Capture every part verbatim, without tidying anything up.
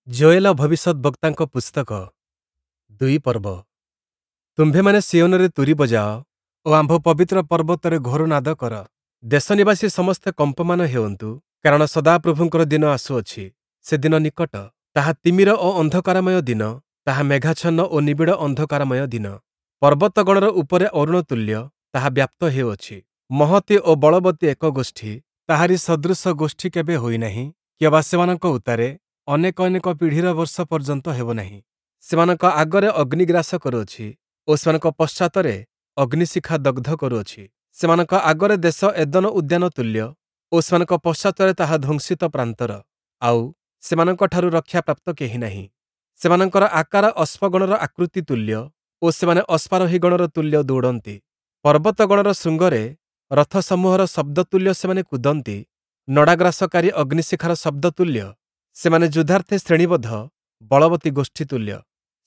ଯୋୟେଲ ଭବିଷ୍ୟଦ୍‌ବକ୍ତାଙ୍କ ପୁସ୍ତକ ଦୁଇ ପର୍ବ। ତୁମ୍ଭେମାନେ ସିୟୋନରେ ତୂରୀ ବଜାଅ ଓ ଆମ୍ଭ ପବିତ୍ର ପର୍ବତରେ ଘୋର ନାଦ କର। ଦେଶନିବାସୀ ସମସ୍ତେ କମ୍ପମାନ ହେଉନ୍ତୁ, କାରଣ ସଦାପ୍ରଭୁଙ୍କର ଦିନ ଆସୁଅଛି, ସେ ଦିନ ନିକଟ। ତାହା ତିମିର ଓ ଅନ୍ଧକାରମୟ ଦିନ, ତାହା ମେଘାଚ୍ଛନ୍ନ ଓ ନିବିଡ଼ ଅନ୍ଧକାରମୟ ଦିନ। ପର୍ବତଗଣର ଉପରେ ଅରୁଣ ତୁଲ୍ୟ ତାହା ବ୍ୟାପ୍ତ ହେଉଅଛି। ମହତୀ ଓ ବଳବତୀ ଏକ ଗୋଷ୍ଠୀ, ତାହାରି ସଦୃଶ ଗୋଷ୍ଠୀ କେବେ ହୋଇନାହିଁ, କିଅବା ସେମାନଙ୍କ ଉତ୍ତାରେ ଅନେକ ଅନେକ ପିଢ଼ିର ବର୍ଷ ପର୍ଯ୍ୟନ୍ତ ହେବ ନାହିଁ। ସେମାନଙ୍କ ଆଗରେ ଅଗ୍ନି ଗ୍ରାସ କରୁଅଛି ଓ ସେମାନଙ୍କ ପଶ୍ଚାତରେ ଅଗ୍ନିଶିଖା ଦଗ୍ଧ କରୁଅଛି। ସେମାନଙ୍କ ଆଗରେ ଦେଶ ଏଦନ ଉଦ୍ୟାନ ତୁଲ୍ୟ ଓ ସେମାନଙ୍କ ପଶ୍ଚାତରେ ତାହା ଧ୍ୱଂସିତ ପ୍ରାନ୍ତର, ଆଉ ସେମାନଙ୍କଠାରୁ ରକ୍ଷାପ୍ରାପ୍ତ କେହି ନାହିଁ। ସେମାନଙ୍କର ଆକାର ଅଶ୍ୱଗଣର ଆକୃତି ତୁଲ୍ୟ ଓ ସେମାନେ ଅଶ୍ୱାରୋହୀଗଣର ତୁଲ୍ୟ ଦୌଡ଼ନ୍ତି। ପର୍ବତଗଣର ଶୃଙ୍ଗରେ ରଥସମୂହର ଶବ୍ଦ ତୁଲ୍ୟ ସେମାନେ କୁଦନ୍ତି, ନଡ଼ାଗ୍ରାସକାରୀ ଅଗ୍ନିଶିଖାର ଶବ୍ଦ ତୁଲ୍ୟ ସେମାନେ ଯୁଦ୍ଧାର୍ଥେ ଶ୍ରେଣୀବଦ୍ଧ ବଳବତୀ ଗୋଷ୍ଠୀ ତୁଲ୍ୟ।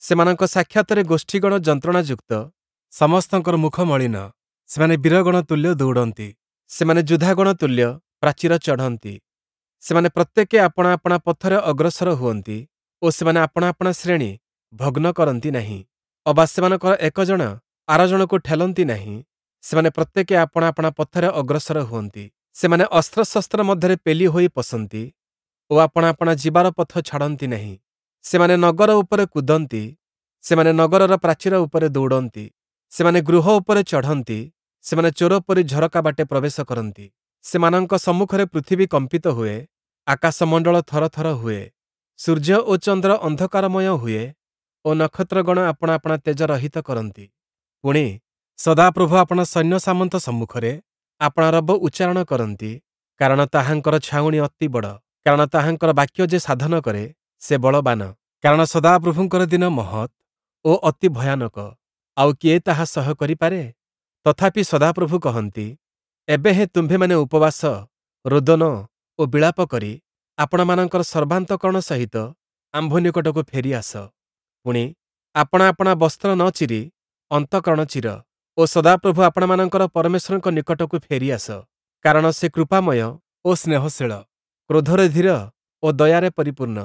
ସେମାନଙ୍କ ସାକ୍ଷାତରେ ଗୋଷ୍ଠୀଗଣ ଯନ୍ତ୍ରଣାଯୁକ୍ତ, ସମସ୍ତଙ୍କର ମୁଖ ମଳିନ। ସେମାନେ ବୀରଗଣ ତୁଲ୍ୟ ଦୌଡ଼ନ୍ତି, ସେମାନେ ଯୋଦ୍ଧାଗଣ ତୁଲ୍ୟ ପ୍ରାଚୀର ଚଢ଼ନ୍ତି। ସେମାନେ ପ୍ରତ୍ୟେକେ ଆପଣା ଆପଣା ପଥରେ ଅଗ୍ରସର ହୁଅନ୍ତି ଓ ସେମାନେ ଆପଣା ଆପଣା ଶ୍ରେଣୀ ଭଗ୍ନ କରନ୍ତି ନାହିଁ, ଅବା ସେମାନଙ୍କର ଏକ ଜଣ ଆର ଜଣକୁ ଠେଲନ୍ତି ନାହିଁ। ସେମାନେ ପ୍ରତ୍ୟେକେ ଆପଣା ଆପଣା ପଥରେ ଅଗ୍ରସର ହୁଅନ୍ତି। ସେମାନେ ଅସ୍ତ୍ରଶସ୍ତ୍ର ମଧ୍ୟରେ ପେଲି ହୋଇ ପଶନ୍ତି ଓ ଆପଣା ଆପଣା ଯିବାର ପଥ ଛାଡ଼ନ୍ତି ନାହିଁ। ସେମାନେ ନଗର ଉପରେ କୁଦନ୍ତି, ସେମାନେ ନଗରର ପ୍ରାଚୀର ଉପରେ ଦୌଡ଼ନ୍ତି। ସେମାନେ ଗୃହ ଉପରେ ଚଢ଼ନ୍ତି, ସେମାନେ ଚୋର ପରି ଝରକା ବାଟେ ପ୍ରବେଶ କରନ୍ତି। ସେମାନଙ୍କ ସମ୍ମୁଖରେ ପୃଥିବୀ କମ୍ପିତ ହୁଏ, ଆକାଶମଣ୍ଡଳ ଥରଥର ହୁଏ। ସୂର୍ଯ୍ୟ ଓ ଚନ୍ଦ୍ର ଅନ୍ଧକାରମୟ ହୁଏ ଓ ନକ୍ଷତ୍ରଗଣ ଆପଣା ଆପଣା ତେଜ ରହିତ କରନ୍ତି। ପୁଣି ସଦାପ୍ରଭୁ ଆପଣା ସୈନ୍ୟ ସାମନ୍ତ ସମ୍ମୁଖରେ ଆପଣା ରବ ଉଚ୍ଚାରଣ କରନ୍ତି, କାରଣ ତାହାଙ୍କର ଛାଉଣି ଅତି ବଡ଼, କାରଣ ତାହାଙ୍କର ବାକ୍ୟ ଯେ ସାଧନ କରେ ସେ ବଳବାନ। କାରଣ ସଦାପ୍ରଭୁଙ୍କର ଦିନ ମହତ୍ ଓ ଅତି ଭୟାନକ, ଆଉ କିଏ ତାହା ସହ୍ୟ କରିପାରେ? ତଥାପି ସଦାପ୍ରଭୁ କହନ୍ତି, ଏବେ ହେଁ ତୁମ୍ଭେମାନେ ଉପବାସ, ରୋଦନ ଓ ବିଳାପ କରି ଆପଣମାନଙ୍କର ସର୍ବାନ୍ତଃକରଣ ସହିତ ଆମ୍ଭ ନିକଟକୁ ଫେରି ଆସ। ପୁଣି ଆପଣା ଆପଣା ବସ୍ତ୍ର ନ ଚିରି ଅନ୍ତଃକରଣ ଚିର ଓ ସଦାପ୍ରଭୁ ଆପଣମାନଙ୍କର ପରମେଶ୍ୱରଙ୍କ ନିକଟକୁ ଫେରି ଆସ, କାରଣ ସେ କୃପାମୟ ଓ ସ୍ନେହଶୀଳ, କ୍ରୋଧରେ ଧୀର ଓ ଦୟାରେ ପରିପୂର୍ଣ୍ଣ,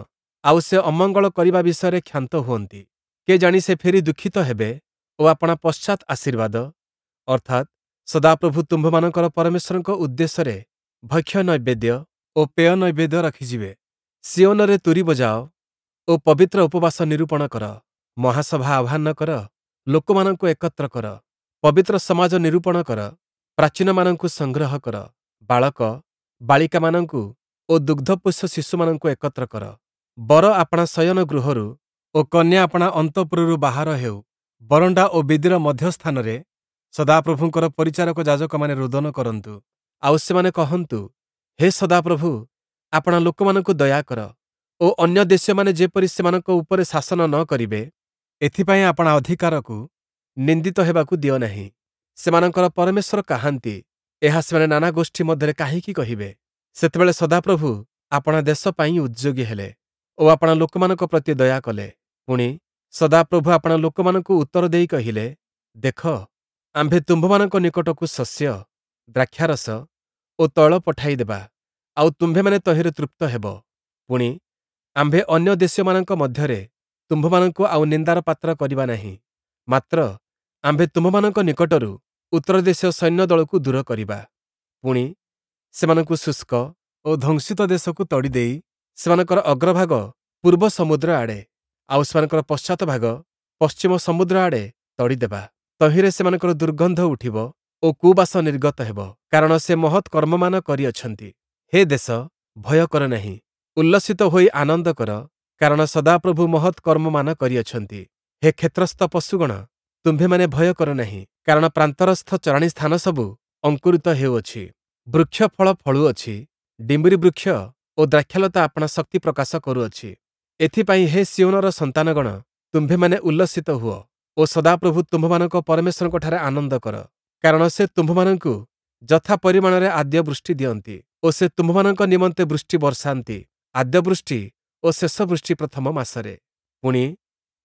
ଆଉ ସେ ଅମଙ୍ଗଳ କରିବା ବିଷୟରେ କ୍ଷାନ୍ତ ହୁଅନ୍ତି। କେଜାଣି ସେ ଫେରି ଦୁଃଖିତ ହେବେ ଓ ଆପଣା ପଶ୍ଚାତ୍ ଆଶୀର୍ବାଦ, ଅର୍ଥାତ୍ ସଦାପ୍ରଭୁ ତୁମ୍ଭମାନଙ୍କର ପରମେଶ୍ୱରଙ୍କ ଉଦ୍ଦେଶ୍ୟରେ ଭକ୍ଷ୍ୟ ନୈବେଦ୍ୟ ଓ ପେୟ ନୈବେଦ୍ୟ ରଖିଯିବେ। ସିୟୋନରେ ତୂରୀ ବଜାଅ ଓ ପବିତ୍ର ଉପବାସ ନିରୂପଣ କର, ମହାସଭା ଆହ୍ୱାନ କର, ଲୋକମାନଙ୍କୁ ଏକତ୍ର କର, ପବିତ୍ର ସମାଜ ନିରୂପଣ କର, ପ୍ରାଚୀନମାନଙ୍କୁ ସଂଗ୍ରହ କର, ବାଳକ ବାଳିକାମାନଙ୍କୁ ଓ ଦୁଗ୍ଧପୋଷ୍ୟ ଶିଶୁମାନଙ୍କୁ ଏକତ୍ର କର। ବର ଆପଣା ଶୟନ ଗୃହରୁ ଓ କନ୍ୟା ଆପଣା ଅନ୍ତଃପୁରରୁ ବାହାର ହେଉ। ବରଣ୍ଡା ଓ ବେଦୀର ମଧ୍ୟସ୍ଥାନରେ ସଦାପ୍ରଭୁଙ୍କର ପରିଚାରକ ଯାଜକମାନେ ରୋଦନ କରନ୍ତୁ, ଆଉ ସେମାନେ କହନ୍ତୁ, ହେ ସଦାପ୍ରଭୁ, ଆପଣା ଲୋକମାନଙ୍କୁ ଦୟା କର ଓ ଅନ୍ୟ ଦେଶୀୟମାନେ ଯେପରି ସେମାନଙ୍କ ଉପରେ ଶାସନ ନ କରିବେ, ଏଥିପାଇଁ ଆପଣା ଅଧିକାରକୁ ନିନ୍ଦିତ ହେବାକୁ ଦିଅ ନାହିଁ। ସେମାନଙ୍କର ପରମେଶ୍ୱର କାହାନ୍ତି, ଏହା ସେମାନେ ନାନା ଗୋଷ୍ଠୀ ମଧ୍ୟରେ କାହିଁକି କହିବେ? ସେତେବେଳେ ସଦାପ୍ରଭୁ ଆପଣା ଦେଶ ପାଇଁ ଉଦ୍ଯୋଗୀ ହେଲେ ଓ ଆପଣା ଲୋକମାନଙ୍କ ପ୍ରତି ଦୟା କଲେ। ପୁଣି ସଦାପ୍ରଭୁ ଆପଣା ଲୋକମାନଙ୍କୁ ଉତ୍ତର ଦେଇ କହିଲେ, ଦେଖ, ଆମ୍ଭେ ତୁମ୍ଭମାନଙ୍କ ନିକଟକୁ ଶସ୍ୟ, ଦ୍ରାକ୍ଷାରସ ଓ ତୈଳ ପଠାଇ ଦେବା, ଆଉ ତୁମ୍ଭେମାନେ ତହିଁରେ ତୃପ୍ତ ହେବ। ପୁଣି ଆମ୍ଭେ ଅନ୍ୟ ଦେଶୀୟମାନଙ୍କ ମଧ୍ୟରେ ତୁମ୍ଭମାନଙ୍କୁ ଆଉ ନିନ୍ଦାର ପାତ୍ର କରିବା ନାହିଁ, ମାତ୍ର ଆମ୍ଭେ ତୁମ୍ଭମାନଙ୍କ ନିକଟରୁ ଉତ୍ତର ଦେଶୀୟ ସୈନ୍ୟଦଳକୁ ଦୂର କରିବା। ପୁଣି ସେମାନଙ୍କୁ ଶୁଷ୍କ ଓ ଧ୍ୱଂସିତ ଦେଶକୁ ତଡ଼ିଦେଇ ସେମାନଙ୍କର ଅଗ୍ରଭାଗ ପୂର୍ବ ସମୁଦ୍ର ଆଡ଼େ ଆଉ ସେମାନଙ୍କର ପଶ୍ଚାତ ଭାଗ ପଶ୍ଚିମ ସମୁଦ୍ର ଆଡ଼େ ତଡ଼ିଦେବା। ତହିଁରେ ସେମାନଙ୍କର ଦୁର୍ଗନ୍ଧ ଉଠିବ ଓ କୁବାସ ନିର୍ଗତ ହେବ, କାରଣ ସେ ମହତ୍ କର୍ମମାନ କରିଅଛନ୍ତି। ହେ ଦେଶ, ଭୟ କର ନାହିଁ, ଉଲ୍ଲସିତ ହୋଇ ଆନନ୍ଦ କର, କାରଣ ସଦାପ୍ରଭୁ ମହତ୍ କର୍ମମାନ କରିଅଛନ୍ତି। ହେ କ୍ଷେତ୍ରସ୍ଥ ପଶୁଗଣ, ତୁମ୍ଭେମାନେ ଭୟ କର ନାହିଁ, କାରଣ ପ୍ରାନ୍ତରସ୍ଥ ଚରାଣୀ ସ୍ଥାନ ସବୁ ଅଙ୍କୁରିତ ହେଉଅଛି, ବୃକ୍ଷ ଫଳ ଫଳୁଅଛି, ଡିମ୍ବିରି ବୃକ୍ଷ ଓ ଦ୍ରାକ୍ଷାଲତା ଆପଣା ଶକ୍ତି ପ୍ରକାଶ କରୁଅଛି। ଏଥିପାଇଁ ହେ ସିୟୋନର ସନ୍ତାନଗଣ, ତୁମ୍ଭେମାନେ ଉଲ୍ଲସିତ ହୁଅ ଓ ସଦାପ୍ରଭୁ ତୁମ୍ଭମାନଙ୍କ ପରମେଶ୍ୱରଙ୍କଠାରେ ଆନନ୍ଦ କର, କାରଣ ସେ ତୁମ୍ଭମାନଙ୍କୁ ଯଥା ପରିମାଣରେ ଆଦ୍ୟ ବୃଷ୍ଟି ଦିଅନ୍ତି ଓ ସେ ତୁମ୍ଭମାନଙ୍କ ନିମନ୍ତେ ବୃଷ୍ଟି ବର୍ଷାନ୍ତି, ଆଦ୍ୟ ବୃଷ୍ଟି ଓ ଶେଷ ବୃଷ୍ଟି ପ୍ରଥମ ମାସରେ। ପୁଣି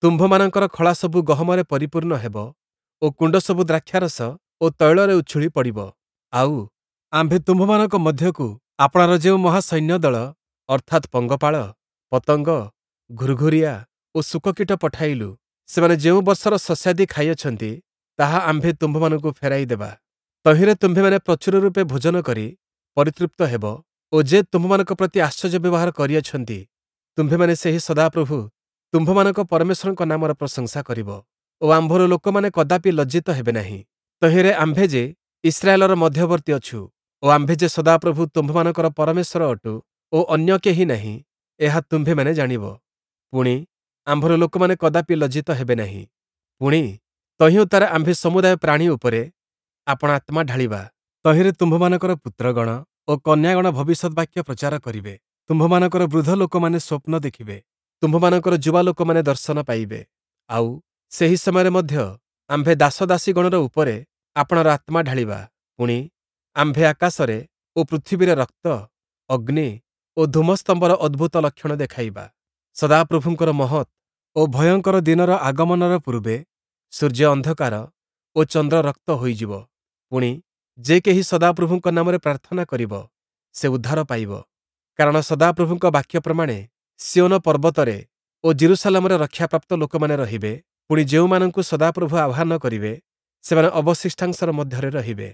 ତୁମ୍ଭମାନଙ୍କର ଖଳା ସବୁ ଗହମରେ ପରିପୂର୍ଣ୍ଣ ହେବ ଓ କୁଣ୍ଡ ସବୁ ଦ୍ରାକ୍ଷାରସ ଓ ତୈଳରେ ଉଛୁଳି ପଡ଼ିବ। ଆଉ ଆମ୍ଭେ ତୁମ୍ଭମାନଙ୍କ ମଧ୍ୟକୁ ଆପଣାର ଯେଉଁ ମହାସୈନ୍ୟଦଳ, ଅର୍ଥାତ୍ ପଙ୍ଗପାଳ, ପତଙ୍ଗ, ଘୁର୍ଘୁରିଆ ଓ ଶୂକକୀଟ ପଠାଇଲୁ, ସେମାନେ ଯେଉଁ ବର୍ଷର ଶସ୍ୟାଦି ଖାଇଅଛନ୍ତି, ତାହା ଆମ୍ଭେ ତୁମ୍ଭମାନଙ୍କୁ ଫେରାଇ ଦେବା। ତହିଁରେ ତୁମ୍ଭେମାନେ ପ୍ରଚୁର ରୂପେ ଭୋଜନ କରି ପରିତୃପ୍ତ ହେବ ଓ ଯେ ତୁମ୍ଭମାନଙ୍କ ପ୍ରତି ଆଶ୍ଚର୍ଯ୍ୟ ବ୍ୟବହାର କରିଅଛନ୍ତି, ତୁମ୍ଭେମାନେ ସେହି ସଦାପ୍ରଭୁ ତୁମ୍ଭମାନଙ୍କ ପରମେଶ୍ୱରଙ୍କ ନାମର ପ୍ରଶଂସା କରିବ ଓ ଆମ୍ଭର ଲୋକମାନେ କଦାପି ଲଜ୍ଜିତ ହେବେ ନାହିଁ। ତହିଁରେ ଆମ୍ଭେ ଯେ ଇସ୍ରାଏଲର ମଧ୍ୟବର୍ତ୍ତୀ ଅଛୁ ଓ ଆମ୍ଭେ ଯେ ସଦାପ୍ରଭୁ ତୁମ୍ଭମାନଙ୍କର ପରମେଶ୍ୱର ଅଟୁ ଓ ଅନ୍ୟ କେହି ନାହିଁ, ଏହା ତୁମ୍ଭେମାନେ ଜାଣିବ। ପୁଣି, ଆମ୍ଭର ଲୋକମାନେ କଦାପି ଲଜ୍ଜିତ ହେବେ ନାହିଁ। ପୁଣି, ତହିଁ ଉତ୍ତାରେ ଆମ୍ଭେ ସମୁଦାୟ ପ୍ରାଣୀ ଉପରେ ଆପଣା ଆତ୍ମା ଢାଳିବା। ତହିଁରେ ତୁମ୍ଭମାନଙ୍କର ପୁତ୍ରଗଣ ଓ କନ୍ୟାଗଣ ଭବିଷ୍ୟଦ୍‌ବାକ୍ୟ ପ୍ରଚାର କରିବେ। ତୁମ୍ଭମାନଙ୍କର ବୃଦ୍ଧ ଲୋକମାନେ ସ୍ୱପ୍ନ ଦେଖିବେ, ତୁମ୍ଭମାନଙ୍କର ଯୁବା ଲୋକମାନେ ଦର୍ଶନ ପାଇବେ। ଆଉ, ସେହି ସମୟରେ ମଧ୍ୟ ଆମ୍ଭେ ଦାସଦାସୀଗଣର ଉପରେ ଆପଣାର ଆତ୍ମା ଢାଳିବା। ପୁଣି, ଆମ୍ଭେ ଆକାଶରେ ଓ ପୃଥିବୀରେ ରକ୍ତ, ଅଗ୍ନି ଓ ଧୂମସ୍ତମ୍ଭର ଅଦ୍ଭୁତ ଲକ୍ଷଣ ଦେଖାଇବା। ସଦାପ୍ରଭୁଙ୍କର ମହତ୍ ଓ ଭୟଙ୍କର ଦିନର ଆଗମନର ପୂର୍ବେ ସୂର୍ଯ୍ୟ ଅନ୍ଧକାର ଓ ଚନ୍ଦ୍ର ରକ୍ତ ହୋଇଯିବ। ପୁଣି, ଯେ କେହି ସଦାପ୍ରଭୁଙ୍କ ନାମରେ ପ୍ରାର୍ଥନା କରିବ, ସେ ଉଦ୍ଧାର ପାଇବ। କାରଣ ସଦାପ୍ରଭୁଙ୍କ ବାକ୍ୟ ପ୍ରମାଣେ ସିୟୋନ ପର୍ବତରେ ଓ ଯିରୂଶାଲମରେ ରକ୍ଷାପ୍ରାପ୍ତ ଲୋକମାନେ ରହିବେ। ପୁଣି, ଯେଉଁମାନଙ୍କୁ ସଦାପ୍ରଭୁ ଆହ୍ୱାନ କରିବେ, ସେମାନେ ଅବଶିଷ୍ଟାଂଶର ମଧ୍ୟରେ ରହିବେ।